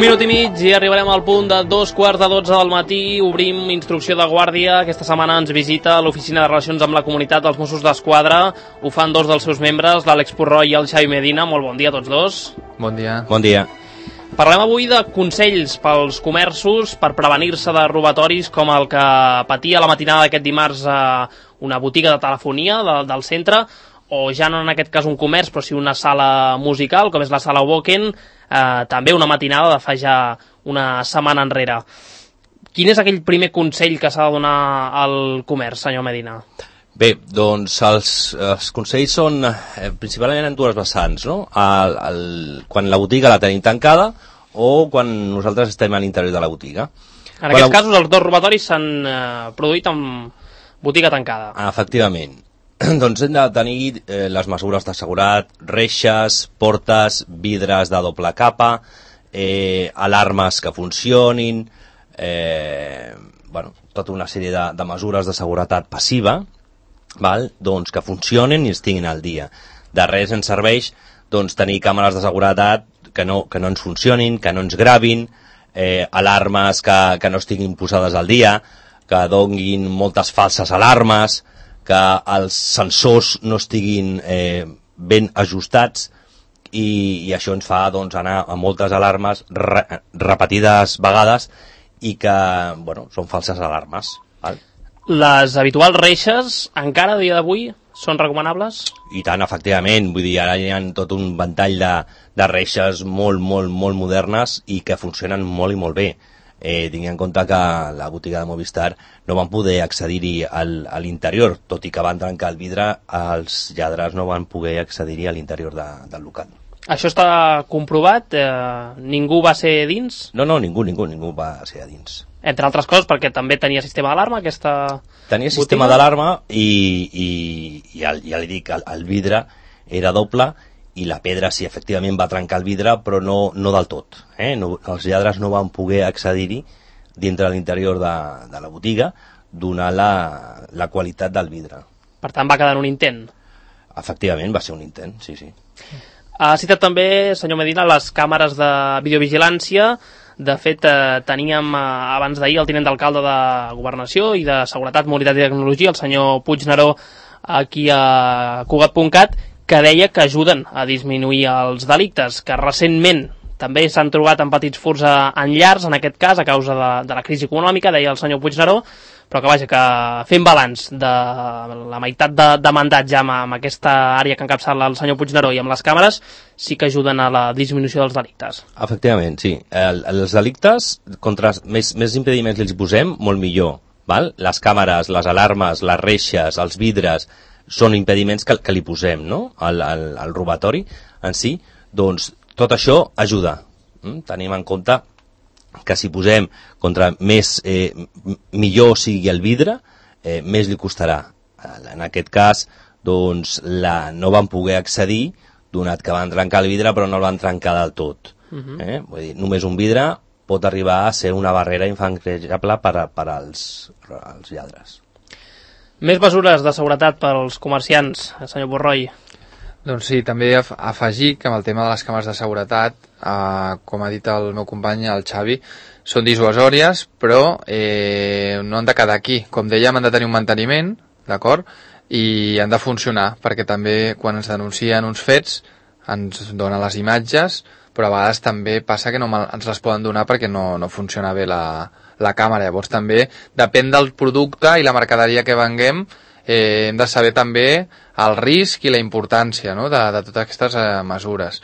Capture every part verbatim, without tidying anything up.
minut i mig i arribarem al punt de dos quarts de dotze del matí. Obrim instrucció de guàrdia. Aquesta setmana ens visita l'Oficina de Relacions amb la Comunitat dels Mossos d'Esquadra. Ho fan dos dels seus membres, l'Àlex Purroy i el Xavi Medina. Molt bon dia a tots dos. Bon dia. Bon dia. Parlem avui de consells pels comerços per prevenir-se de robatoris com el que patia la matinada d'aquest dimarts a una botiga de telefonia de, del centre, o ja no en aquest cas un comerç, però sí una sala musical, com és la sala Woken, eh, també una matinada de fa ja una setmana enrere. Quin és aquell primer consell que s'ha de donar al comerç, senyor Medina? Bé, doncs els, els consells són eh, principalment en dues vessants, no? El, el, quan la botiga la tenim tancada o quan nosaltres estem a l'interior de la botiga. En aquests la... casos els dos robatoris s'han eh, produït amb botiga tancada. Ah, efectivament. Doncs hem de tenir eh, les mesures de seguretat, reixes, portes, vidres de doble capa, eh, alarmes que funcionin, eh, bueno, tota una sèrie de, de mesures de seguretat passiva, val? Doncs que funcionin i estiguin al dia. De res ens serveix doncs, tenir càmeres de seguretat que no, que no ens funcionin, que no ens gravin, eh, alarmes que, que no estiguin posades al dia, que donguin moltes falses alarmes, que els sensors no estiguin eh, ben ajustats i, i això ens fa doncs, anar a moltes alarmes re, repetides vegades i que bueno, són falses alarmes. Val? Les habituals reixes encara a dia d'avui són recomanables? I tant, efectivament. Vull dir, ara hi ha tot un ventall de, de reixes molt, molt, molt modernes i que funcionen molt i molt bé. Eh, tingui en compte que la botiga de Movistar no van poder accedir-hi al, a l'interior, tot i que van trencar el vidre, els lladres no van poder accedir-hi a l'interior de, del local. Això està comprovat? Eh, ningú va ser dins? No, no, ningú, ningú, ningú va ser a dins. Entre altres coses perquè també tenia sistema d'alarma aquesta Tenia sistema botiga? d'alarma i, i, i el, ja li dic, el, el vidre era doble i la pedra sí, efectivament va trencar el vidre, però no, no del tot. Eh? No, els lladres no van poder accedir-hi dintre de l'interior de, de la botiga, donant la, la qualitat del vidre. Per tant, va quedar en un intent. Efectivament, va ser un intent, sí, sí. Ha citat també, senyor Medina, les càmeres de videovigilància. De fet, eh, teníem eh, abans d'ahir el tinent d'alcalde de Governació i de Seguretat, Mobilitat i Tecnologia, el senyor Puigneró, aquí a Cugat punt cat, que deia que ajuden a disminuir els delictes, que recentment també s'han trobat en petits furts en llars, en aquest cas, a causa de, de la crisi econòmica, deia el senyor Puigneró, però que vaja, que fent balanç de la meitat de, de mandat ja amb, amb aquesta àrea que encapçala el senyor Puigneró i amb les càmeres, sí que ajuden a la disminució dels delictes. Efectivament, sí. El, els delictes, contra més, més impediments els posem, molt millor. Val? Les càmeres, les alarmes, les reixes, els vidres, són impediments que, que li posem, no? Al, al, al robatori en si, doncs tot això ajuda. Mm? Tenim en compte que si posem contra més, eh, millor sigui el vidre, eh, més li costarà. En aquest cas, doncs, la, no van poder accedir, donat que van trencar el vidre, però no el van trencar del tot. Uh-huh. eh? Vull dir, només un vidre pot arribar a ser una barrera infranquejable per, a, per als, als lladres. Més mesures de seguretat pels comerciants, senyor Purroy. Doncs sí, també afegir que amb el tema de les càmeres de seguretat, eh, com ha dit el meu company, el Xavi, són dissuasòries, però eh, no han de quedar aquí. Com dèiem, han de tenir un manteniment, d'acord? I han de funcionar, perquè també quan ens denuncien uns fets ens donen les imatges, però a vegades també passa que no ens les poden donar perquè no, no funciona bé la, la càmera. Llavors també depèn del producte i la mercaderia que venguem, eh, hem de saber també el risc i la importància, no?, de, de totes aquestes eh, mesures.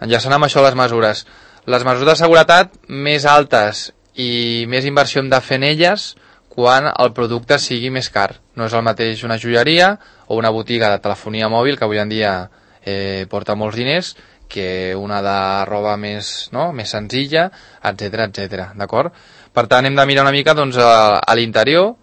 Enllaçant amb això les mesures. Les mesures de seguretat més altes i més inversió hem de fer en elles quan el producte sigui més car. No és el mateix una joieria o una botiga de telefonia mòbil, que avui en dia eh, porta molts diners, que una de roba més, no?, més senzilla, etcètera, etcètera, d'acord? Per tant, hem de mirar una mica doncs, a, a l'interior,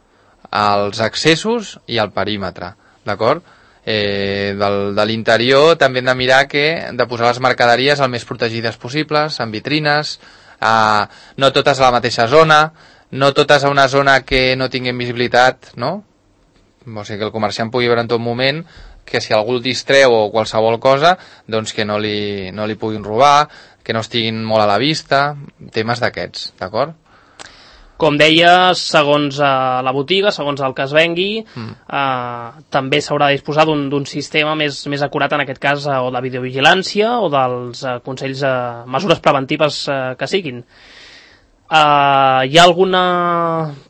als accessos i al perímetre, d'acord? Eh, del, de l'interior també hem de mirar que de posar les mercaderies el més protegides possibles, en vitrines, eh, no totes a la mateixa zona, no totes a una zona que no tinguin visibilitat, no? O sigui, que el comerciant pugui veure en tot moment que si algú el distreu o qualsevol cosa, doncs que no li, no li puguin robar, que no estiguin molt a la vista, temes d'aquests, d'acord? Com deia, segons eh, la botiga, segons el que es vengui, mm. eh, també s'haurà de disposar d'un sistema més, més acurat, en aquest cas, eh, o de videovigilància o dels eh, consells, eh, mesures preventives eh, que siguin. Eh, hi ha alguna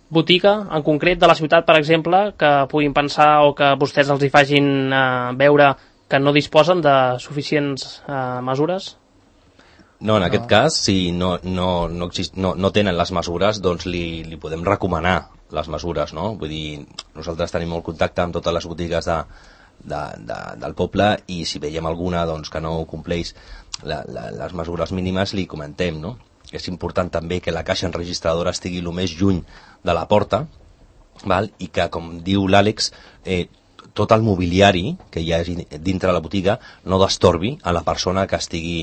botiga en concret de la ciutat, per exemple, que puguin pensar o que vostès els hi facin eh, veure que no disposen de suficients eh, mesures? No, en no. aquest cas, si no, no, no, exist, no, no tenen les mesures, doncs li, li podem recomanar les mesures, no? Vull dir, nosaltres tenim molt contacte amb totes les botigues de, de, de, del poble i si veiem alguna doncs, que no compleix la, la, les mesures mínimes, li comentem, no? És important també que la caixa enregistradora estigui el més lluny de la porta, val? I que, com diu l'Àlex, eh, tot el mobiliari que hi ha dintre la botiga no destorbi a la persona que estigui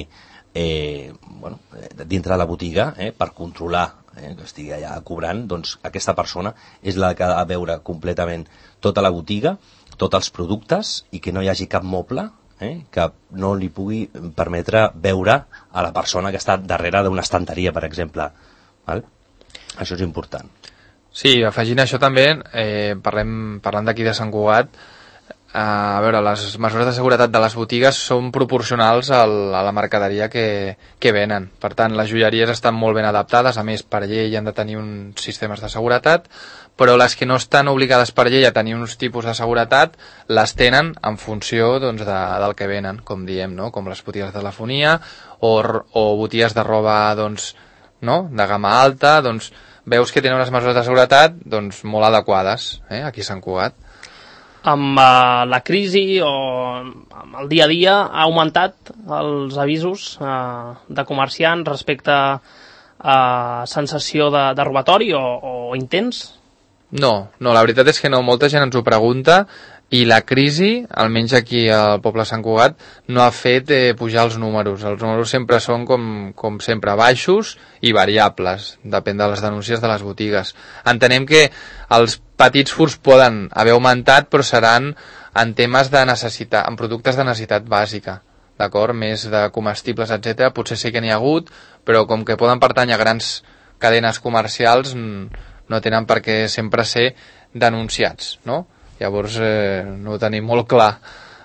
Eh, bueno, dintre de la botiga, eh, per controlar eh, que estigui allà cobrant, doncs aquesta persona és la que ha de veure completament tota la botiga, tots els productes i que no hi hagi cap moble eh, que no li pugui permetre veure a la persona que està darrere d'una estanteria, per exemple. Val? Això és important. Sí, afegint això també, eh, parlem, parlant d'aquí de Sant Cugat, a veure, les mesures de seguretat de les botigues són proporcionals al, a la mercaderia que, que venen. Per tant, les joieries estan molt ben adaptades, a més, per llei han de tenir uns sistemes de seguretat, però les que no estan obligades per llei a tenir uns tipus de seguretat, les tenen en funció doncs, de, del que venen, com diem, no? Com les botigues de telefonia o, o botigues de roba doncs, no? De gamma alta, doncs veus que tenen unes mesures de seguretat doncs, molt adequades eh? Aquí a Sant Cugat. Amb uh, la crisi o amb el dia a dia ha augmentat els avisos uh, de comerciants respecte a uh, sensació de, de robatori o, o intents? No, no, la veritat és que no, molta gent ens ho pregunta i la crisi, almenys aquí al poble de Sant Cugat, no ha fet eh, pujar els números. Els números sempre són com, com sempre baixos i variables, depèn de les denúncies de les botigues. Entenem que els petits furts poden haver augmentat, però seran en temes de necessitat, en productes de necessitat bàsica, d'acord? Més de comestibles, etcètera. Potser sí que n'hi ha hagut, però com que poden pertànyer a grans cadenes comercials, no tenen per què sempre ser denunciats, no? Llavors eh, no ho tenim molt clar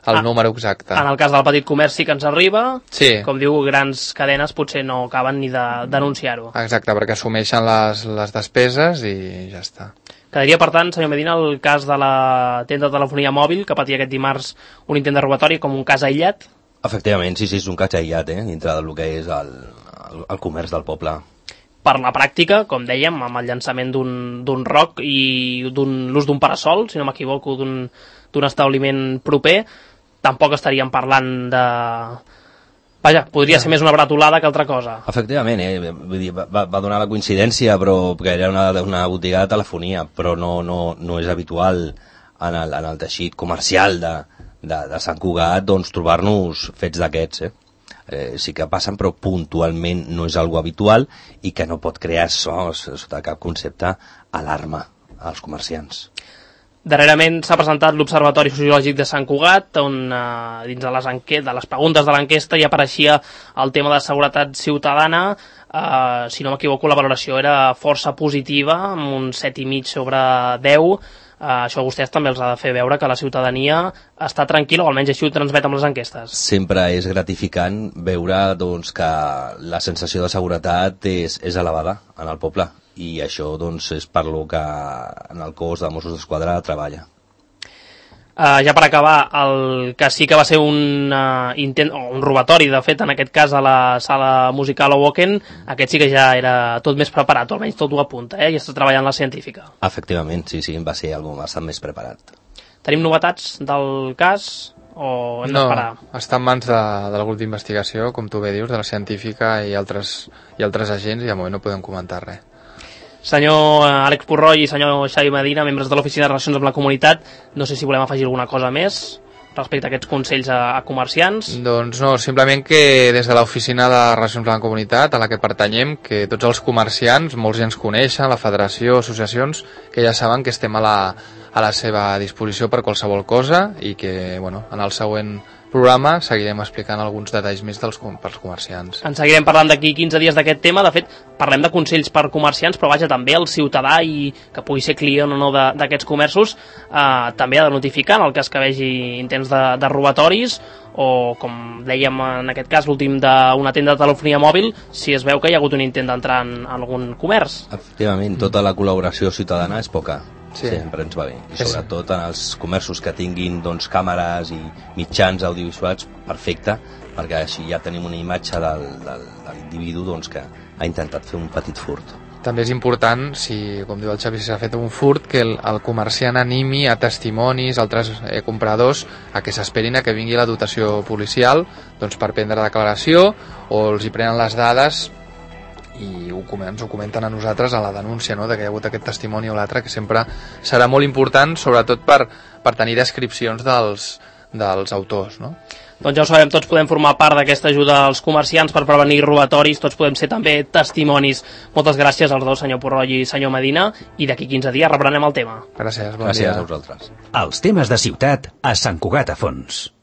el ah, número exacte. En el cas del petit comerç sí que ens arriba, sí. Com diu, grans cadenes potser no acaben ni de denunciar-ho. Exacte, perquè assumeixen les, les despeses i ja està. Quedaria, per tant, senyor Medina, el cas de la tenda de telefonia mòbil que patia aquest dimarts un intent de robatori com un cas aïllat? Efectivament, sí, sí, és un cas aïllat, eh, dintre del que és el, el, el comerç del poble. Per la pràctica, com dèiem, amb el llançament d'un roc i l'ús d'un parasol, si no m'equivoco, d'un establiment proper, tampoc estaríem parlant de... Vaja, podria ser més una bratolada que altra cosa. Efectivament, eh? Vull dir, va, va donar la coincidència, però que era una, una botiga de telefonia, però no, no, no és habitual en el, en el teixit comercial de, de, de Sant Cugat doncs, trobar-nos fets d'aquests, eh? Eh, sí que passen, però puntualment no és algo habitual i que no pot crear so, sota cap concepte alarma als comerciants. Darrerament s'ha presentat l'Observatori Sociològic de Sant Cugat, on eh, dins de les, de les preguntes de l'enquesta hi apareixia el tema de seguretat ciutadana. Eh, si no m'equivoco, la valoració era força positiva, amb un set i mig sobre deu. Uh, això a vostès també els ha de fer veure que la ciutadania està tranquil·la, o almenys així ho transmet amb les enquestes. Sempre és gratificant veure doncs, que la sensació de seguretat és, és elevada en el poble i això doncs, és per lo que en el cos de Mossos d'Esquadra treballa. Uh, ja per acabar, el que sí que va ser un uh, intent, o un robatori, de fet, en aquest cas a la sala musical Owoken, aquest sí que ja era tot més preparat, o almenys tot ho apunta, eh? I està treballant la científica. Efectivament, sí, sí, va ser algo bastant més preparat. Tenim novetats del cas o hem no, d'esperar? No, està en mans de, del grup d'investigació, com tu bé dius, de la científica i altres, i altres agents, i de moment no podem comentar res. Senyor Àlex Purroy i senyor Xavi Medina, membres de l'Oficina de Relacions amb la Comunitat, no sé si volem afegir alguna cosa més respecte a aquests consells a, a comerciants. Doncs no, simplement que des de l'Oficina de Relacions amb la Comunitat, a la que pertanyem, que tots els comerciants, molts ja ens coneixen, la federació, associacions, que ja saben que estem a la, a la seva disposició per qualsevol cosa i que, bueno, en el següent programa seguirem explicant alguns detalls més dels, pels comerciants. En seguirem parlant d'aquí quinze dies d'aquest tema. De fet, parlem de consells per comerciants, però vaja, també el ciutadà i que pugui ser client o no d'aquests comerços eh, també ha de notificar en el cas que vegi intents de, de robatoris o, com dèiem en aquest cas, l'últim d'una tenda de telefonia mòbil, si es veu que hi ha hagut un intent d'entrar en algun comerç. Efectivament, tota la col·laboració ciutadana és poca. Sí. Sempre ens va bé, i sobretot en els comerços que tinguin doncs, càmeres i mitjans audiovisuals, perfecte, perquè així ja tenim una imatge del, del, de l'individu doncs, que ha intentat fer un petit furt. També és important, si, com diu el Xavi, si s'ha fet un furt, que el, el comerciant animi a testimonis, altres eh, compradors, a que s'esperin a que vingui la dotació policial doncs, per prendre declaració, o els hi prenen les dades i ho, ens ho comenten a nosaltres a la denúncia, no?, de que hi ha hagut aquest testimoni o l'altre, que sempre serà molt important, sobretot per, per tenir descripcions dels, dels autors, no? Doncs ja ho sabem, tots podem formar part d'aquesta ajuda als comerciants per prevenir robatoris, tots podem ser també testimonis. Moltes gràcies als dos, senyor Purroll i senyor Medina, i d'aquí quinze dies reprenem el tema. Gràcies, bon Gràcies dia. a vosaltres. Els temes de ciutat a Sant Cugat a Fons.